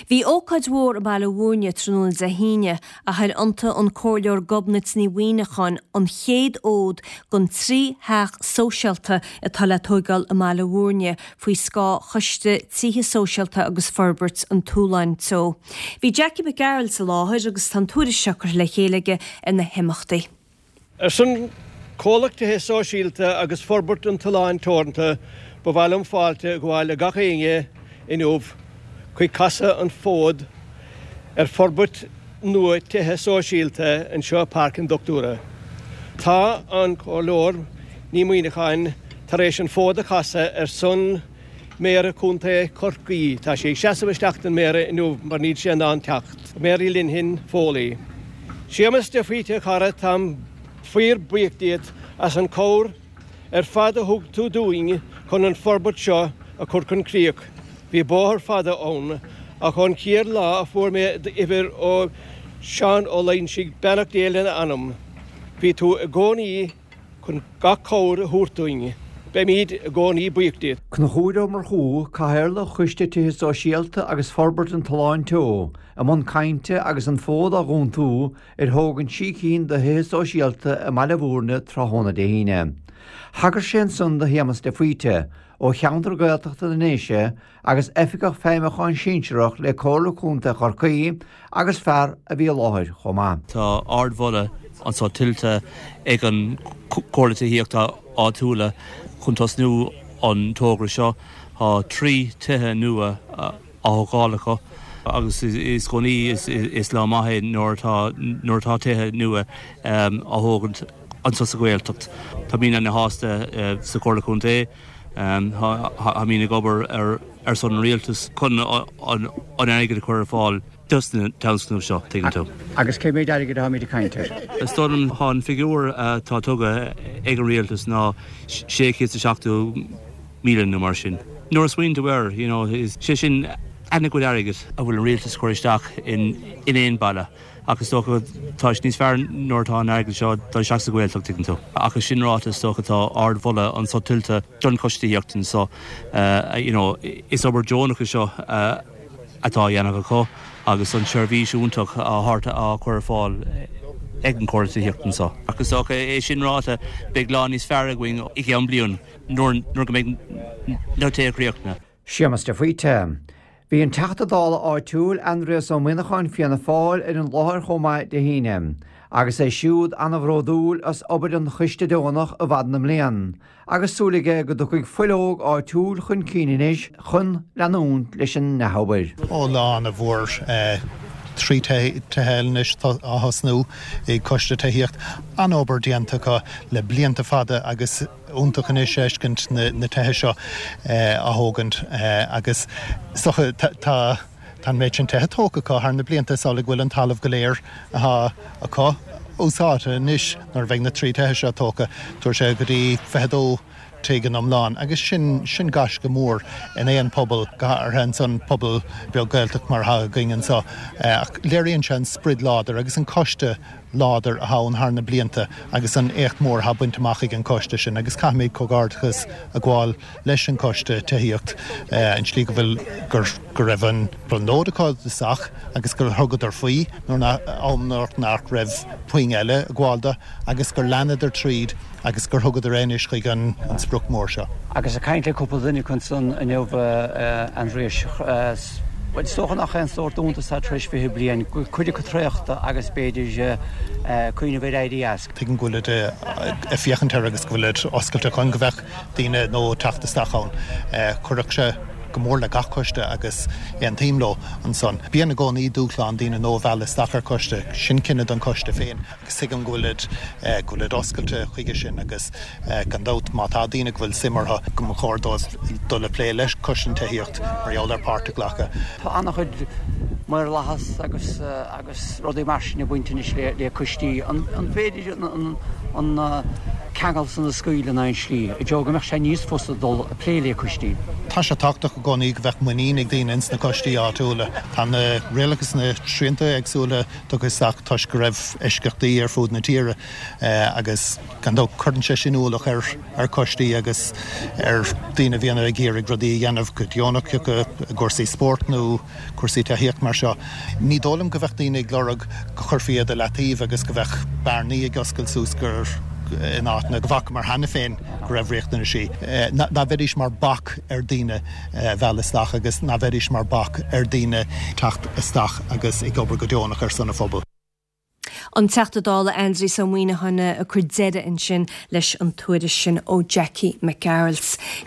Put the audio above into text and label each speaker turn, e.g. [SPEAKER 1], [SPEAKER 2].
[SPEAKER 1] Bhí ócáid mhór i mBaile Bhúirne tráthnóna Dé hAoine a chuir iontu an Comhairleoir Gobnait Ní Mhuimhneacháin an chéad fhód don 3 theach sóisialta atá le tóigeáil i mBaile Bhúirne faoi scáth Choiste Tithe Sóisialta agus Forbairt an tSuláin Teo. Bhí Jackie Mac Gearailt i láthair agus tá an tuairisc seo curtha le chéile aige ar na himeachtaí.
[SPEAKER 2] Ar son Comhlacht Tithe Sóisialta agus Forbairt an tSuláin Teoranta ba mhaith liom fáilte a ghabháil le gach éinne inniu chuig casadh an fód ar forbairt nua tithe sóisialta anseo i Páirc an Dochtúra. Tá an Comhairleoir Ní Mhuimhneacháin tar éis an fód a chasadh ar son Méara Chontae Chorcaí. Tá sí ag seasamh isteach don Mhéara inniu mar níl sé in ann teacht. Mary Lenihan Foley. Séamus de Faoite a chara, táim fíor buíoch díot as an chabhair ar fad a thug tú dúinn chun an forbairt seo a chur chun críoch. Bhí bóthar fada ann, ach ón chéad lá a fuair mé d'uimhir ó Seán Ó Loingsigh, beannacht Dé lena anam, bhí tú i gcónaí chun gach cabhair a thabhairt dúinn. Beimid i gcónaí buíoch díot.
[SPEAKER 3] Conchúr Ó Murchú, Cathaoirleach Choiste Tithe Sóisialta agus Forbairt an tSuláin Teo, i mbun cainte agus an fód á dhúntú ar thógaint trí cinn de thithe sóisialta i mBaile Bhúirne tráthnóna Dé hAoine. Thagair sé ansan do Shéamus de Faoite, ó cheantar Gaeltachta na nDéise agus Oifigeach Feidhmiúcháin Sinsearach le Comhairle Contae Chorcaí agus fear a bhí i láthair chomh maith.
[SPEAKER 4] Tá ardmholadh anso tuillte ag an Chomhairle Tithíochta Áitiúla chun tosnú an togra seo. Tá 3 tithe nua á thógáil acu agus is gcónaí is lá maith é nuair atá nuair atá tithe nua á thógaint anso sa Ghaeltacht. Táimid ana-shásta sa Chomhairle Contae. Táimid ag obair ar son an Rialtais chun an airgead a chur ar fáil dos na tionscnaimh seo, tuigeann tú.
[SPEAKER 3] Agus cé mhéid airgid atáimid ag caint air?
[SPEAKER 4] Is dóigh liom, tá an figiúr atá tugtha ag an Rialtas ná 670,000 nó mar sin. Nuair a smaoiníonn tú air, you know, is sé sin ana-chuid airgid a bhfuil an Rialtas ag cur isteach in aon baile. Ach is dócha tá sé níos fearr nuair atá an airgead seo ag dul isteach sa Ghaeltacht, tuigeann tú. Ach é sin ráite is dócha tá ardmholadh anso tuillte don Choiste Tithíochta anso. You know, is obair deonach é seo atá á dhéanamh acu agus an tseirbhís iontach á chur ar fáil ag an Chomhairle Tithíochta anso. Ach is dócha é sin ráite beidh lá níos fearr againn i gceann bliain nuair go mbeidh na tithe críochnaithe.
[SPEAKER 3] Séamus de Faoite. Bhí an Teachta Dála áitiúil, Aindrias Ó Muimhneacháin, Fianna Fáil, ar an láthair chomh maith Dé hAoine, agus é siúd an-bhródúil as obair an choiste deonach i bhfad na mblian, agus súil aige go dtiocfaidh fuil óg áitiúil chun cinn anois chun leanúint leis an ndea-obair.
[SPEAKER 5] Ó lá ana-mhór 3 tithe eile anois á thosnú ag Coiste Tithíocht. An-obair déanta acu le blianta fada agus. iontach anois a fheiscint na tithe seo á thógaint agus is dócha tá an méid sin tithe tógtha acu thar na blianta is amhlaidh go bhfuil an talamh go léir atá acu úsáidte anois nuair a bheidh na 3 tithe seo tógtha tabharfaidh sé go dtí 22 tigh in iomlán agus sin sin gaisce mór in aon pobal go háirithe ansan pobal beag Gaeltacht mar atá againn anseo ach léiríonn sé an sprid láidir agus an coiste láidir atá ann thar na blianta agus an éacht mór atá bainte amach ag an coiste sin agus caithfimid comhghairdeachas a ghabháil leis an coiste tithíocht an tslí go bhfuil gur go raibh an brionglóid acu i dtosach agus gur thugadar faoi nuair nach am nuair nach raibh puinn eile ag gabháil do agus gur leanadar tríd agus gur thugadar é anois chuig an sprioc mór seo.
[SPEAKER 3] Agus ag caint le cúpla duine acu ansan inniu, a Aindriais, bhuel, is dócha nach aon sórt iontas é tar éis 20 bliain, go bhfuil cuid acu traochta agus b'fhéidir cuimhneamh ar éirí as.
[SPEAKER 5] Tuigim go bhfuilid ag féachaint air agus go bhfuilid oscailte chun go mbeadh daoine nua ag teacht isteach ann. Chuirfeadh sé go mór le gach coiste agus aontaím leo ansan. Bíonn i gcónaí dúshlán daoine nua a mhealladh isteach ar choiste, sin cinneadh don choiste féin. agus tuigim go bhfuilid, go bhfuilid oscailte chuige sin agus gan dabht má tá daoine go bhfuil suim orthu go mba chóir dóibh dul ag plé le Coiste an Tithíocht mar gheall ar páirt a ghlacadh.
[SPEAKER 3] Tá an-chuid maorlathas agus agus rudaí mar sin ag baint anois le le coistí. An an féidir an an an. ceangal san a scaoileadh in aon slí, i dtreo go mbeadh sé níos fusa dul ag plé le coistí.
[SPEAKER 5] Tá sé tábhachtach i gcónaí go bheadh muinín ag daoine ins na coistí áitiúla. Tá na rialacha is na srianta éagsúla tugtha isteach toisc go raibh eisceachtaí ar fud na tíre agus gan dabht cuireann sé sin ualach ar ar choistí agus ar daoine a bhíonn ag iarraidh rudaí a dhéanamh go deonach, acu i gcúrsaí spóirt nó cúrsaí tithíocht mar seo. Ní dóigh liom go bheadh daoine ag lorg go chuirfí iad i leataobh agus go bheadh bearnaí ag oscailt suas gur in áiteanna go bhfacamar cheana féin go raibh riachtanaisí. Ná bheidís mar bac ar daoine a mhealladh isteach agus ná bheidís mar bac ar daoine teacht isteach agus ag obair go deonach ar son an phobail.
[SPEAKER 1] An Teachta Dála Aindrias Ó Muimhneacháin ag cur deireadh ansin leis an tuairisc sin ó Jackie Mac Gearailt.